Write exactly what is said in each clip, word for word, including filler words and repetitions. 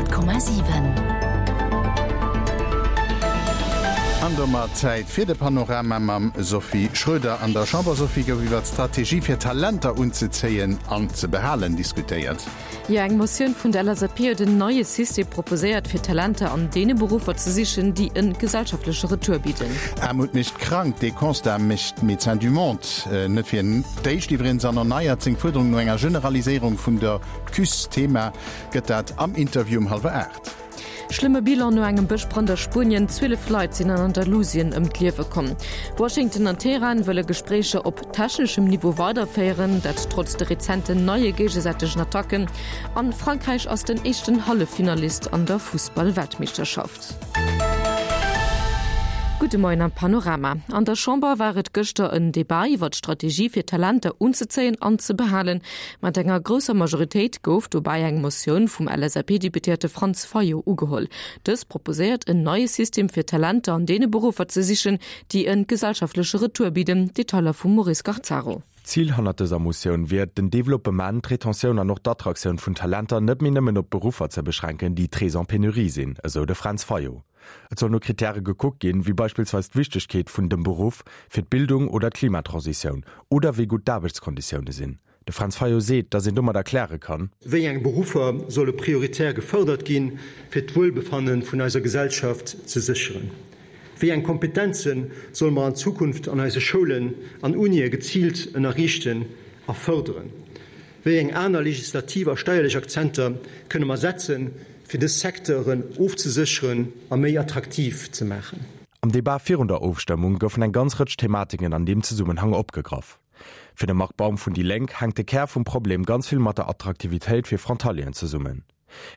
Honnert Komma siwen. An domat Zäit fir de Panorama mam Sophie Schröder. An der Chamber, Sophie, gouf iwwer d'Strategie fir Talenter unzezéien an ze behalen diskutéiert. Jo, eng Motioun vun der L S A P huet en neie System proposéiert, fir Talenter an deene Beruffer ze sichen, déi e gesellschaftleche Retour bidden. Aarmut mécht krank, dee Constat mécht Médecins du Monde net fir d'éischt iwwregens an erneiert seng Fuerderung no enger Generaliséierung vun der C U S. Thema gëtt dat am Interview um hallwer aacht. Schlëmme Bilan no engem Bëschbrand a Spuenien, Zwielef Leit sinn an Andalusien ëm d'Liewe komm. Washington an Teheran wëlle Gespréicher op techneschem Niveau weiderféieren, dat trotz de rezenten neie géigesäitegen Attacken. An Frankräich ass den éischten Halleffinalist an der Fussball-Weltmeeschterschaft. Gudde Moien am Panorama. An der Chamber war et gëschter en Debat iwwer d'Strategie fir Talenter unzezéien an ze behalen. Mat enger grousser Majoritéit gouf dobäi eng Motioun vum L S A P-Deputéierte Franz Fayot ugeholl. Dës proposéiert en neie System fir Talenter an deene Beruffer ze sichen, déi e gesellschaftleche Retour bidden. Detailer vum Maurice Garzaro. Zil hannert dëser Motioun wier, den Developpement, d'Retentioun an och d'Attraktioun vun Talenter net méi nëmmen op Beruffer ze beschränken, déi très en pénurie sinn, esou de Franz Fayot. Et soll no Kritäre gekuckt ginn, wéi beispillsweis d'Wichtegkeet vun dem Beruff fir d'Bildung oder d'Klimatransitioun oder wéi gutt d'Aarbechtskonditioune sinn. De Franz Fayot seet, datt een domat erkläre kann, Wéi eng Beruffer solle prioritär gefërdert ginn, fir d'Wuelbefanne vun eiser Gesellschaft ze sécheren? Wéi eng Kompetenze solle mer an Zukunft an eise Schoulen an Unie geziilt ënnerriichten a fërderen? Wéi eng aner legislativ a steierlech Akzenter kënne mer setzen, fir dës Secteuren ofzesécheren a méi attraktiv ze maachen? Am Debat virun der Ofstëmmung goufen eng ganz Rëtsch Thematiken an deem Zesummenhang opgegraff. Fir de Marc Baum vun déi Lénk hänkt de Kär vum Problem ganz vill mat der Attraktivitéit fir Frontalieren zesummen.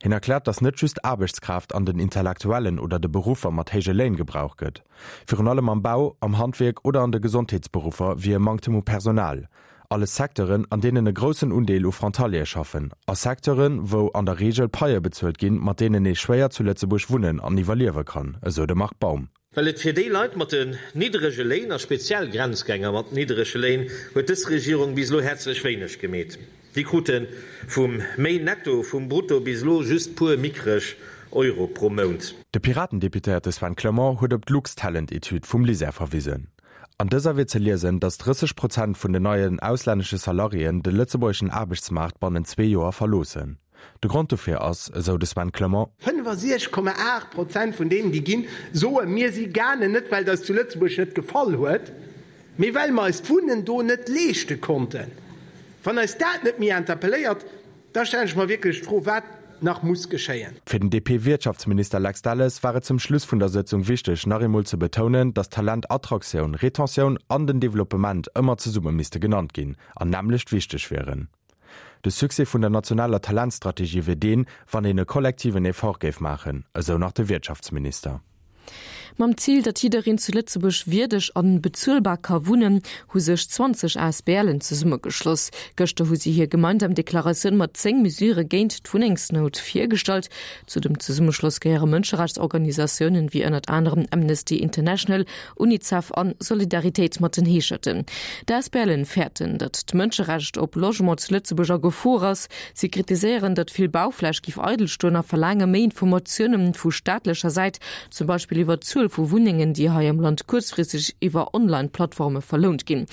Hien erkläert, datt net just Aarbechtskraaft an den intellektuellen oder de Beruffer mat héije Léin gebraucht gëtt. Virun allem am Bau, am Handwierk oder an de Gesondheetsberuffer wier e Manktem u Personal. Alles Secteuren, an deenen e groussen Undeel u Frontaliere schaffen, a Secteuren, wou an der Reegel Paie bezuelt ginn, mat deenen ee schwéier zu Lëtzebuerg wunnen an iwwerliewe kann, esou de Marc Baum. Well et fir déi Leit mat den niddrege Léin a speziell Grenzgänger mat niddrege Léin huet dës Regierung bis elo häerzlech wéineg gemeet. Déi krute vum méi Netto vum Brutto bis elo just puer mickreg Euro pro Mount. De Piraten-Deputéierte Sven Clement huet op d'Luxtalent-Etüd vum LISER verwisen. An dëser wier ze liesen, datt drësseg Prozent vun den neien auslännesche Salariéen de lëtzebuergeschen Aarbechtsmaart bannent zwee Joer verloossen. De Grond dofir ass, esou de Sven Clement, fënnefasiechzeg Komma aacht Prozent vun deenen, déi ginn, soen, mir si gaangen, net well et eis zu Lëtzebuerg net gefall huet, mee well mer eis d'Wunnen do net leeschte konnten. Wann eis dat net méi interpelléiert, da stellen ech mer wierklech d'Fro, wat nach muss geschéien. Fir den D P-Wirtschaftsminister Lex Delles war et zum Schluss vun der Sëtzung wichteg, nach eemol ze betounen, datt Talentattraktioun, Retentioun an den Developpement ëmmer zesumme misste genannt ginn an nämmlecht wichteg wieren. De Succès vun der nationaler Talentstrategie wier deen, wann een e kollektiven Effort géif maachen, esou nach de Wirtschaftsminister. Mam Zil, datt jiddereen zu Lëtzebuerg wierdeg an bezuelbar ka wunnen, hu sech zwanzeg A S B Len zesummegeschloss. Gëschter hu si hir gemeinsam Deklaratioun mat zéng Mesurë géint d'Wunnengsnout virgestallt. Zu dem Zesummeschloss gehéiere Mënscherechtsorganisatiounen wéi ënnert anerem Amnesty International, UNICEF an Solidaritéit mat den Heescherten. D'A S B Len fäerten, datt d'Mënscherecht op Logement zu Lëtzebuerg a Gefor ass. Si kritiséieren, datt vill Baufläch géif eidel stoen a verlaange méi Informatioune vu staatlecher Säit, zum Beispill iwwer d'Zuel vu Wunnengen, déi hei am Land kuerzfristeg iwwer Online-Plattforme verlount ginn.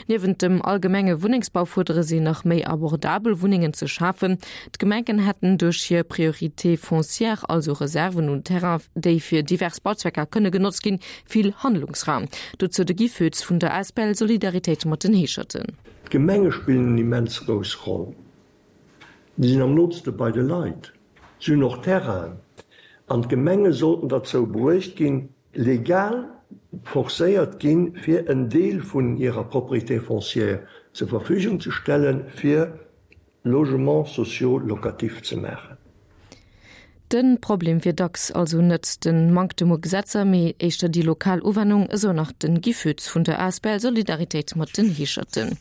Niewent dem allgemenge Wunnengsbau fuerdere si nach méi abordabel Wunnengen ze schafen. D'Gemengen hätten duerch hir Priorité foncière, also Reserven un Terrainen, déi fir divers Bauzwecker kënne genotzt ginn, vill Handlungsraum. Dozou de Guy Foetz vun der A S B L Solidaritéit mat den Heescherten. D'Gemenge spillen eng immens grouss Roll. Si sinn am nootste bei de Leit. Si hunn och Terrainen. An d'Gemenge sollten derzou bruecht ginn, legal forcéiert ginn, fir en Deel vun hirer Propriété foncière zur Verfügung ze stellen, fir Logements sociaux locatifs ze maachen. Den Problem wier dacks also net den Manktem u Gesetzer, mee éischter déi lokal Uwennung, esou nach den Guy Foetz vun der A S B L Solidaritéit mat den Heescherten.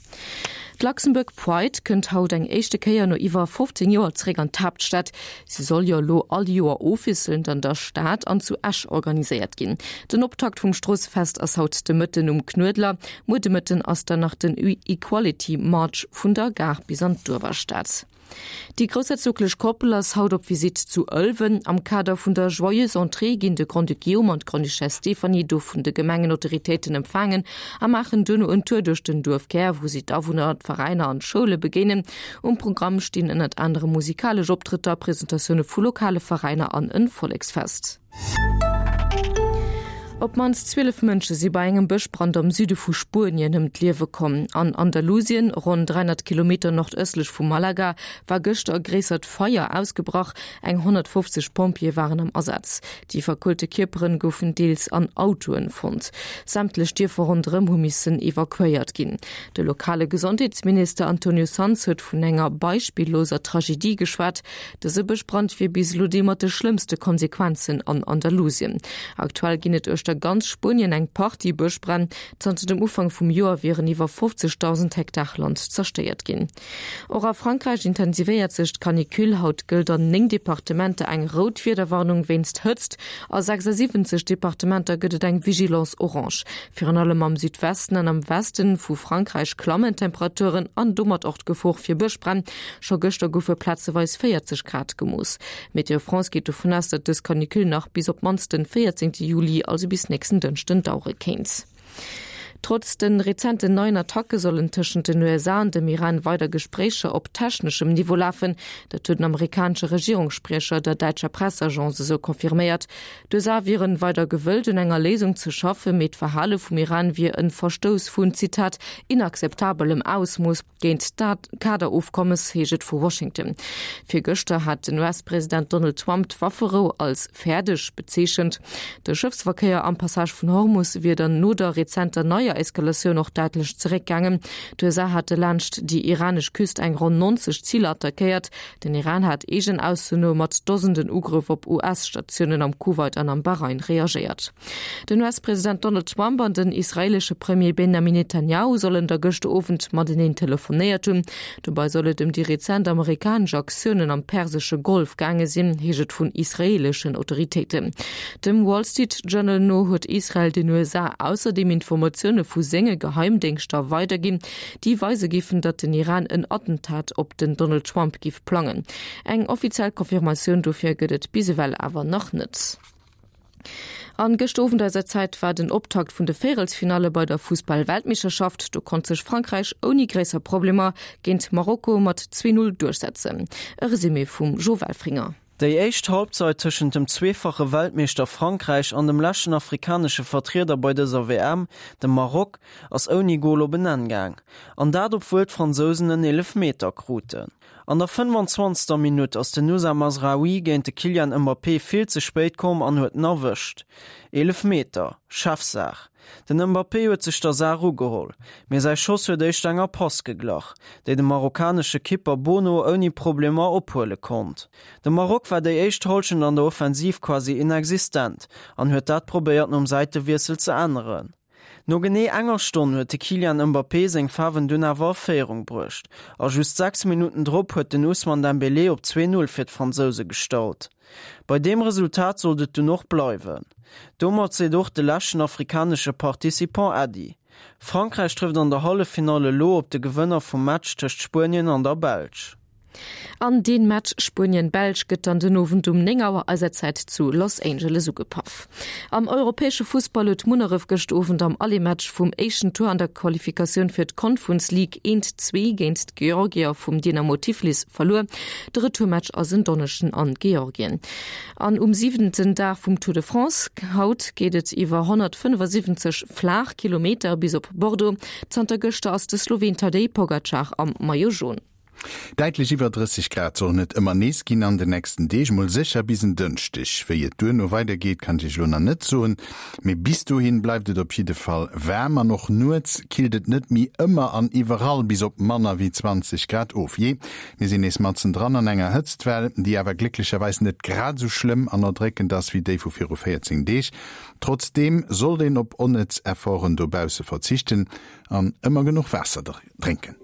D'Luxembourg Pride kënnt haut eng éischte Kéier no iwwer fofzéng Joer zeréck an d'Haaptstad. Si soll jo elo all Joer ofwiesselnd an der Stad an zu Esch organiséiert ginn. Den Optakt vum Stroossefest ass haut de Mëtten um Knuedler. Muer de Mëtten ass dann nach den Equality March vun der Gare bis an d'Uewerstad. Déi groussherzoglech Koppel ass haut op Visitt zu Ëlwen. Am Kader vun der Joyeuse Entrée ginn de Grand-Duc Guillaume an d'Grande-Duchesse Stéphanie do vun de Gemengenautoritéiten empfaangen a maachen duerno en Tour duerch den Duerfkär, wou si d'Awunner, d'Veräiner an d'Schoule begéinen. Um Programm stinn ënnert anerem musikalesch Optrëtter, Presentatioune vu lokale Veräiner an en Volleksfest. Op d'mannst zwielef Mënsche si bei engem Bëschbrand am Süde vu Spuenien ëm d'Liewe komm. An Andalusien, ronn dräihonnert Kilometer nordëstlech vu Malaga, war gëschter e gréissert Feier ausgebrach. Eng honnertfofzeg Pompjeeë waren am Asaz. Déi verkuelte Kierperen goufen deels an Autoen fonnt. Sämtlech Dierfer ronderëm hu missen evakuéiert ginn. De lokale Gesondheetsminister Antonio Sanz huet vun enger beispilloser Tragedie geschwat. Dëse Bëschbrand wier bis elo dee mat de schlëmmste Konsequenzen an Andalusien. Aktuell ginn et uechter ganz Spuenien eng Partie Bëschbränn. Zanter dem Ufank vum Joer wieren iwwer fofzegdausend Hektar Land zerstéiert ginn. Och a Frankräich intensivéiert sech d'Canicule. Haut gëllt an néng Departementer eng rout Wiederwarnung wéinst Hëtzt. A sechsasiwwenzeg Departementer gëtt et eng Vigilance orange. Virun allem am Südwesten an am Westen vu Frankräich klammen d'Temperaturen an domat och d'Gefor fir Bëschbränn. Scho gëschter goufe plazeweis véierzeg Grad gemooss. Météo France geet dovun aus, datt dës Canicule nach bis op d'mannst den véierzéngte Juli, also bis nächsten Dënschden, dauere kéint. Trotz de rezenten neien Attacke sollen tëschent den U S A an dem Iran weider Gespréicher op techneschem Niveau lafen. Dat huet den amerikanesche Regierungsspriecher der däitscher Pressagence esou confirméiert. D'U S A wieren weider gewëllt, un enger Léisung ze schaffen, mee d'Verhale vum Iran wier e Verstouss vun, Zitat, inakzeptabelem Ausmooss géint dat Kaderofkommes, heescht et vu Washington. Virgëschter hat den U S-President Donald Trump d'Wafferou als fäerdeg bezeechent. De Schëffsverkéier am Passage vun Hormus wier dann no der rezenter neier Eskalatioun och däitlech zeréckgaangen. D'U S A hate laanscht déi iranesch Küst eng ronn neunzeg Ziler attackéiert. Den Iran hat eegenen Aussoen no mat Dosenden Ugrëff op U S-Statiounen am Kuwait an am Bahrain reagéiert. Den U S-President Donald Trump an den israeelesche Premier Benjamin Netanjahu sollen da gëschter Owend mateneen telefonéiert hunn. Dobäi soll et ëm déi rezent amerikanesch Aktiounen am Persesche Golf gaange sinn, heescht et vun israeeleschen Autoritéiten. Dem Wall Street Journal no huet Israel den U S A ausserdeem Informatioune vu senge Geheimdéngschter weiderginn, déi weise géifen, datt den Iran en Attentat op den Donald Trump géif plangen. Eng offiziell Confirmatioun dofir gëtt et bis ewell awer nach net. An gëschter Owend eiser Zäit war den Optakt vun de Véierelsfinalle bei der Fussball-Weltmeeschterschaft. Do konnt sech Frankräich ouni gréisser Problemer géint Marokko mat zwee Null duerchsetzen. E Resumé vum Jo Welfringer. Déi éischt Halbzeit tëschent dem zweefache Weltmeeschter Frankräich an dem leschten afrikanesche Vertrieder bei dëser W M, dem Maroc, ass ouni Gol op en Enn gaang. An dat obwuel d'Fransousen en Eelefmeter kruten. An der fënnfanzwanzegster Minutt ass den Noussair Mazraoui géint de Kylian Mbappé vill ze spéit komm an huet en erwëscht. Eelefmeter, Chefsaach. Den Mbappé huet sech der Saach ugeholl, mee säi Schoss huet éischter enger Pass geglach, déi de marokkanesche Kipper Bono ouni Problemer ophuele konnt. De Maroc war déi éischt Hallschent an der Offensiv quasi inexistent an huet dat probéiert nom Säitewiessel ze änneren. No genee enger Stonn huet de Kylian Mbappé seng Faarwen dunn awer a Féierung bruecht a just sechs Minutten drop huet den Ousmane Dembélé op zwee Null fir d'Fransouse gestallt. Bei deem Resultat sollt et dunn och bleiwen. Domat seet och de leschten afrikanesche Participant Äddi. Frankräich trëfft an der Halleffinall elo op de Gewënner vum Match tëscht Spuenien an der Belsch. An dee Match Spuenien-Belsch gëtt dann den Owend um néng Auer eiser Zäit zu Los Angeles ugepaff. Am europäesche Fussball huet Munneref gëscht Owend am Aller-Match vum éischten Tour an der Qualifikatioun fir d'Conference League eent zwee géint d'Georgier vum Dynamo Tiflis verluer. De Retourmatch ass en Donneschden an Georgien. An um siwenten Dag vum Tour de France haut geet et iwwer honnertfënnefasiwwenzeg flaach Kilometer bis op Bordeaux. Zanter gëschter ass de Sloween Tadej Pogacar am Maillot jaune. Däitlech iwwer drësseg Grad sollen et ëmmer nees ginn an den nächsten Deeg, mol sécher bis en Dënschdeg. Wéi et duerno weidergeet, kann ech iech elo nach net soen, mee bis dohin bleift et op jidde Fall waarm an och nuets killt et net méi ëmmer an iwwerall bis op manner wéi zwanzeg Grad of. Jee, mir sinn nees matzendran an enger Hëtztwell, déi awer glécklecherweis net grad esou schlëmm an erdréckend ass wéi déi vu viru véierzéng Deeg. Trotzdeem sollt een op onnëtz Efforten dobausse verzichten an ëmmer genuch Waasser drénken.